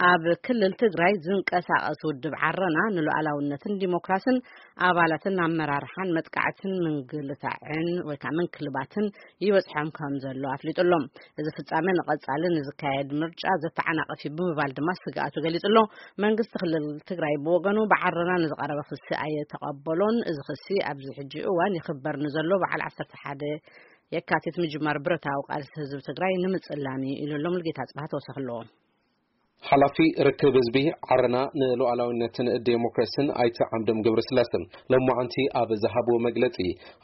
ኣብ ክልል ትግራይ ዝንቀሳቐስ ውድብ ዓረና ንሉዓላውነትን ዲሞክራስን ኣባላትን ኣመራርሓን መጥቃዕትን ምንግልታዕን ወይ ከዓ ምንክልባትን ይበፅሖም ከም ዘሎ ኣፍሊጡ ኣሎ። እዚ ፍጻመ ንቐጻሊ ንዝካየድ ምርጫ ዘተዓናቕፍ እዩ ብምባል ድማ ስግኣቱ ገሊጹ ኣሎ። መንግስቲ ክልል ትግራይ ብወገኑ ብዓረና ንዝቐረበ ክሲ ኣየተቐበሎን። እዚ ክሲ ኣብዚ ሕጂ እዋን ይኽበር ንዘሎ በዓል ዓሰርተ ሓደ የካቲት ምጅማር ብረታዊ ቃልሲ ህዝቢ ትግራይ ንምጽላን እዩ ኢሉ ኣሎ። ሙሉጌታ ጽባህ ተወሳኺ ኣለዎ። ሓላፊ ርክብ ህዝቢ ዓረና ንሉዓላዊነትን ዴሞክራሲን ኣይተ ዓምዶም ገብረስላሰ ሎማዓንቲ ኣብ ዝሃብዎ መግለጺ፣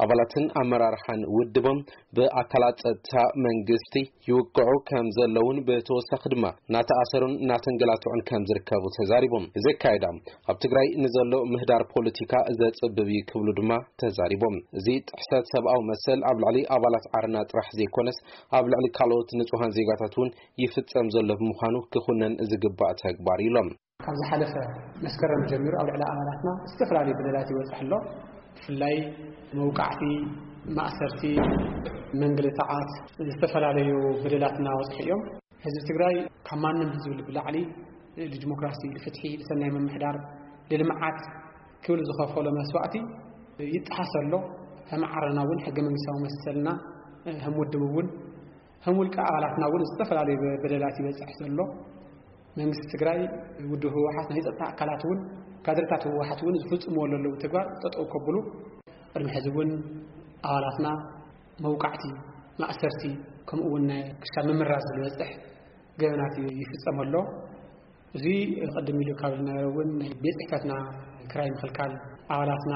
ኣባላትን ኣመራርሓን ውድቦም ብኣካላት ጸጥታ መንግስቲ ይውቅዑ ከም ዘለውን ብተወሳኺ ድማ እናተኣሰሩን እናተንገላትዑን ከም ዝርከቡ ተዛሪቦም። እዚ ኣካይዳ ኣብ ትግራይ ንዘሎ ምህዳር ፖለቲካ ዘጽብብ እዩ ክብሉ ድማ ተዛሪቦም። እዚ ጥሕሰት ሰብኣዊ መሰል ኣብ ልዕሊ ኣባላት ዓረና ጥራሕ ዘይኮነስ ኣብ ልዕሊ ካልኦት ንጹሃን ዜጋታት እውን ይፍጸም ዘሎ ብምዃኑ ክኹነን ዝግባእ ተግባር ኢሎም። ካብ ዝሓለፈ መስከረም ጀሚሩ ኣብ ልዕሊ ኣባላትና ዝተፈላለዩ በደላት ይበፅሕ ኣሎ። ብፍላይ መውቃዕቲ፣ ማእሰርቲ፣ መንግልታዓት፣ ዝተፈላለዩ በደላት እናበፅሑ እዮም። ህዝቢ ትግራይ ካብ ማንም ህዝቢ ብላዕሊ ንዲሞክራሲ፣ ንፍትሒ፣ ንሰናይ ምምሕዳር፣ ንልምዓት ክብል ዝኸፈሎ መስዋእቲ ይጠሓስ ኣሎ። ከም ዓረና እውን ሕገ መንግስታዊ መሰልና፣ ከም ውድብ እውን፣ ከም ውልቀ ኣባላትና እውን ዝተፈላለዩ በደላት ይበፅሕ ዘሎ። መንግስቲ ትግራይ፣ ውድብ ህወሓት፣ ናይ ጸጥታ ኣካላት እውን፣ ካድሬታት ህወሓት እውን ዝፍጽምዎ ዘለዉ ተግባር ጠጠው ከብሉ፣ ቅድሚ ሕዚ እውን ኣባላትና መውቃዕቲ፣ ማእሰርቲ፣ ከምኡ እውን ናይ ክሻብ ምምራዝ ዝበፅሕ ገበናት ይፍጸም ኣሎ። እዚ ቅድም ኢሉ ካብ ዝነበረ እውን ናይ ቤት ጽሕፈትና ክራይ ምኽልካል፣ ኣባላትና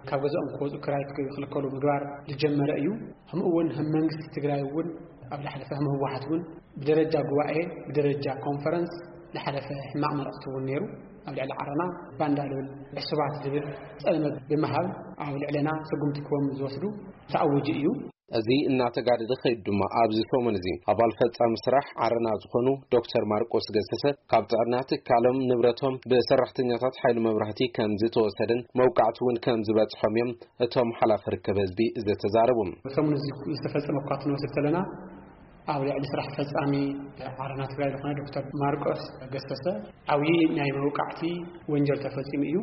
ካብ ገዛኦም ክወፁ ክራይ ክኽልከሉ ምግባር ዝጀመረ እዩ። ከምኡ እውን ከም መንግስቲ ትግራይ እውን ኣብ ዝሓለፈ ከም ህወሓት እውን ብደረጃ ጉባኤ፣ ብደረጃ ኮንፈረንስ ዝሓለፈ ሕማቕ መልእኽቲ እውን ነይሩ። ኣብ ልዕሊ ዓረና ባንዳ ዝብል ዕሱባት ዝብል ጸልመት ብምሃብ ኣብ ልዕለና ስጉምቲ ክቦም ዝወስዱ ተኣዊጁ እዩ። እዚ እናተጋደደ ከይዱ ድማ ኣብዚ ሰሙን እዚ ኣባል ፈጻሚ ስራሕ ዓረና ዝኾኑ ዶክተር ማርቆስ ገሰሰ ካብ ጥዕና ትካሎም ንብረቶም ብሰራሕተኛታት ሓይሊ መብራህቲ ከም ዝተወሰደን መውቃዕቲ እውን ከም ዝበጽሖም እዮም እቶም ሓላፊ ርክብ ህዝቢ ዝተዛረቡ። ሰሙን እዚ ዝተፈጸመ እኳ ክንወስድ ከለና ኣብ ልዕሊ ስራሕ ፈጻሚ ዓረና ትግራይ ዝኾነ ዶክተር ማርቆስ ገሰሰ ዓብዪ ናይ መውቃዕቲ ወንጀል ተፈጺሙ እዩ።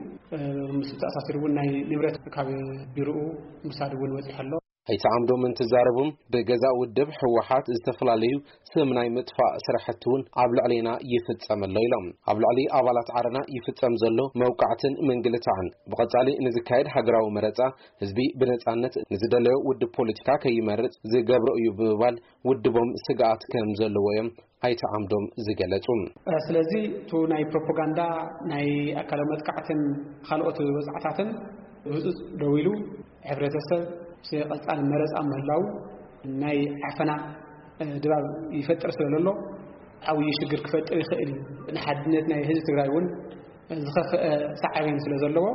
ምስ ተኣሳሲሩ እውን ናይ ንብረት ካብ ቢሮኡ ምውሳድ እውን በጺሑ ኣሎ። ኣይተ ዓምዶም እንትዛረቡም ብገዛእ ውድብ ህወሓት ዝተፈላለዩ ስም ናይ ምጥፋእ ስራሕቲ እውን ኣብ ልዕሌና ይፍጸም ኣሎ ኢሎም። ኣብ ልዕሊ ኣባላት ዓረና ይፍጸም ዘሎ መውቃዕትን ምንግልታዕን ብቐጻሊ ንዝካየድ ሃገራዊ መረጻ ህዝቢ ብነጻነት ንዝደለዮ ውድብ ፖለቲካ ከይመርጽ ዝገብሮ እዩ ብምባል ውድቦም ስግኣት ከም ዘለዎ እዮም ኣይተ ዓምዶም ዝገለጹ። ስለዚ እቱ ናይ ፕሮፓጋንዳ ናይ ኣካላዊ መጥቃዕትን ካልኦት ወፅዓታትን ብህፁፅ ደው ኢሉ ሕብረተሰብ ምስ ቀፃሊ መረፃ ምህላው ናይ ዓፈና ድባብ ይፈጥር ስለ ዘሎ ዓብዪ ሽግር ክፈጥር ይኽእል እዩ። ንሓድነት ናይ ህዝቢ ትግራይ እውን ዝኸፍአ ሳዕቤን ስለ ዘለዎ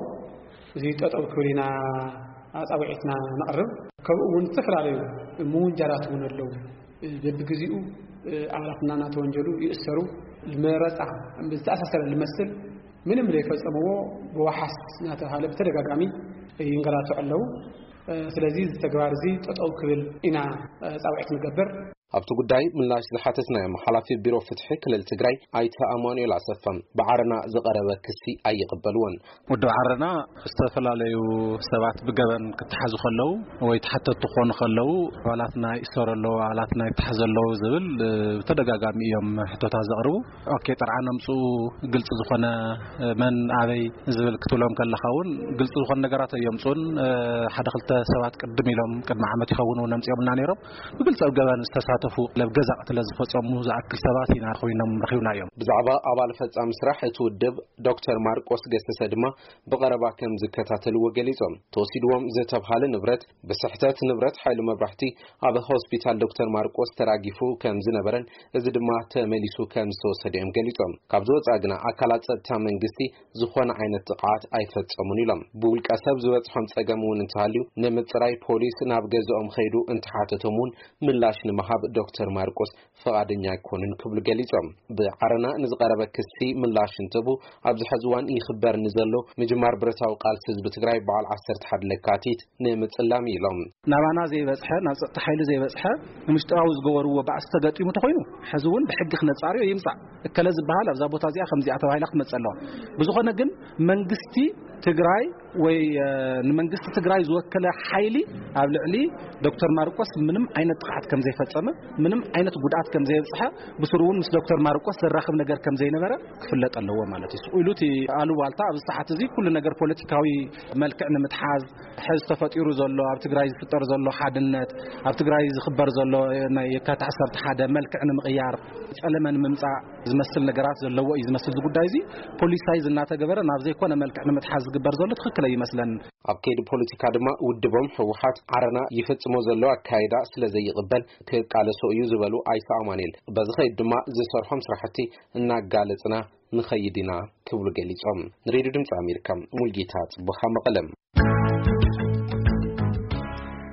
እዚ ጠጠው ክብል ኢና ኣፃውዒትና ነቕርብ። ከምኡ እውን ዝተፈላለዩ ምውንጃላት እውን ኣለዉ። በብግዜኡ ኣባላትና እናተወንጀሉ ይእሰሩ። መረፃ ዝተኣሳሰረ ዝመስል ምንም ዘይፈፀምዎ ብዋሓስ እናተባሃለ ብተደጋጋሚ ይንገላትዑ ኣለዉ። ስለዚ እዚ ተግባር እዚ ጠጠው ክብል ኢና ፃውዒት ንገብር። ኣብቲ ጉዳይ ምላሽ ዝሓተትናዮም ሓላፊ ቢሮ ፍትሒ ክልል ትግራይ ኣይተ ኣማኑኤል ኣሰፋ ብዓረና ዝቐረበ ክሲ ኣይቕበልዎን። ውድብ ዓረና ዝተፈላለዩ ሰባት ብገበን ክተሓዙ ከለዉ ወይ ተሓተቱ ክኾኑ ከለዉ ኣባላትና ይእሰሩ ኣለዉ፣ ኣባላትና ይተሓዙ ኣለዉ ዝብል ብተደጋጋሚ እዮም ሕቶታት ዘቕርቡ። ኦኬ፣ ጥርዓን ኣምፅኡ፣ ግልፂ ዝኾነ መን ኣበይ ዝብል ክትብሎም ከለኻ እውን ግልፂ ዝኾነ ነገራት ኣየምፅኡን። ሓደ ክልተ ሰባት ቅድም ኢሎም ቅድሚ ዓመት ይኸውን እውን ኣምፂኦምልና ነይሮም። ብግልፂ ኣብ ገበን ዝተሳተፉ ለብ ገዛ ቅትለት ዝፈፀሙ ዝኣክል ሰባት ኢና ኮይኖም ረኺብናዮም። ብዛዕባ ኣባል ፈጻሚ ስራሕ እቲ ውድብ ዶክተር ማርቆስ ገሰሰ ድማ ብቐረባ ከም ዝከታተልዎ ገሊጾም። ተወሲድዎም ዝተብሃለ ንብረት ብስሕተት ንብረት ሓይሊ መብራህቲ ኣብ ሆስፒታል ዶክተር ማርቆስ ተራጊፉ ከም ዝነበረን እዚ ድማ ተመሊሱ ከም ዝተወሰደ እዮም ገሊጾም። ካብ ዝወጻ ግና ኣካላት ጸጥታ መንግስቲ ዝኾነ ዓይነት ጥቕዓት ኣይፈጸሙን ኢሎም። ብውልቀ ሰብ ዝበጽሖም ጸገም እውን እንተሃልዩ ንምጽራይ ፖሊስ ናብ ገዝኦም ኸይዱ እንተሓተቶም እውን ምላሽ ንምሃብ ዶክተር ማርቆስ ፍቓደኛ ኣይኮኑን ክብሉ ገሊጾም። ብዓረና ንዝቐረበ ክሲ ምላሽ እንትህቡ፣ ኣብዚ ሕዚ እዋን ይኽበር ንዘሎ ምጅማር ብረታዊ ቃልሲ ህዝቢ ትግራይ በዓል ዓሰርተ ሓደ ለካቲት ንምጽላም ኢሎም። ናባና ዘይበጽሐ፣ ናብ ጸጥታ ሓይሊ ዘይበጽሐ፣ ንምሽጥራዊ ዝገበርዎ ባእሲ ተገጢሙ ተኾይኑ፣ ሕዚ እውን ብሕጊ ክነጻርዮ ይምጻእ። እከለ ዝበሃል ኣብዛ ቦታ እዚኣ ከምዚኣ ተባሂላ ክትመጽእ ኣለዋ። ብዝኾነ ግን መንግስቲ ትግራይ ወይ ንመንግስቲ ትግራይ ዝወከለ ሓይሊ ኣብ ልዕሊ ዶክተር ማርቆስ ምንም ዓይነት ጥቕዓት ከም ዘይፈጸመ፣ ምንም ዓይነት ጉድኣት ከም ዘየብጽሐ፣ ብስሩ እውን ምስ ዶክተር ማርቆስ ዘራኽብ ነገር ከም ዘይነበረ ክፍለጥ ኣለዎ ማለት እዩ። ስቕ ኢሉ እቲ ኣሉባልታ ኣብዚ ሰዓት እዚ ኩሉ ነገር ፖለቲካዊ መልክዕ ንምትሓዝ፣ ሕዚ ተፈጢሩ ዘሎ ኣብ ትግራይ ዝፍጠር ዘሎ ሓድነት፣ ኣብ ትግራይ ዝኽበር ዘሎ ናይ የካቲት ዓሰርተ ሓደ መልክዕ ንምቕያር፣ ጸለመ ንምምጻእ ዝመስል ነገራት ዘለዎ እዩ ዝመስል። እዚ ጉዳይ እዚ ፖሊሳይዝ እናተገበረ ናብ ዘይኮነ መልክዕ ንምትሓዝ ዝግበር ዘሎ ትኽክል ኣይመስለን። ኣብ ከይዲ ፖለቲካ ድማ ውድቦም ህወሓት ዓረና ይፍጽሞ ዘሎ ኣካይዳ ስለ ዘይቕበል ክቃለሶ እዩ ዝበሉ ኣይተ ኣማኑኤል፣ በዚ ከይድ ድማ ዝሰርሖም ስራሕቲ እናጋለጽና ንኸይድ ኢና ክብሉ ገሊጾም። ንሬድዮ ድምፂ ኣሜሪካ ሙልጌታ ጽቡኻ መቐለም።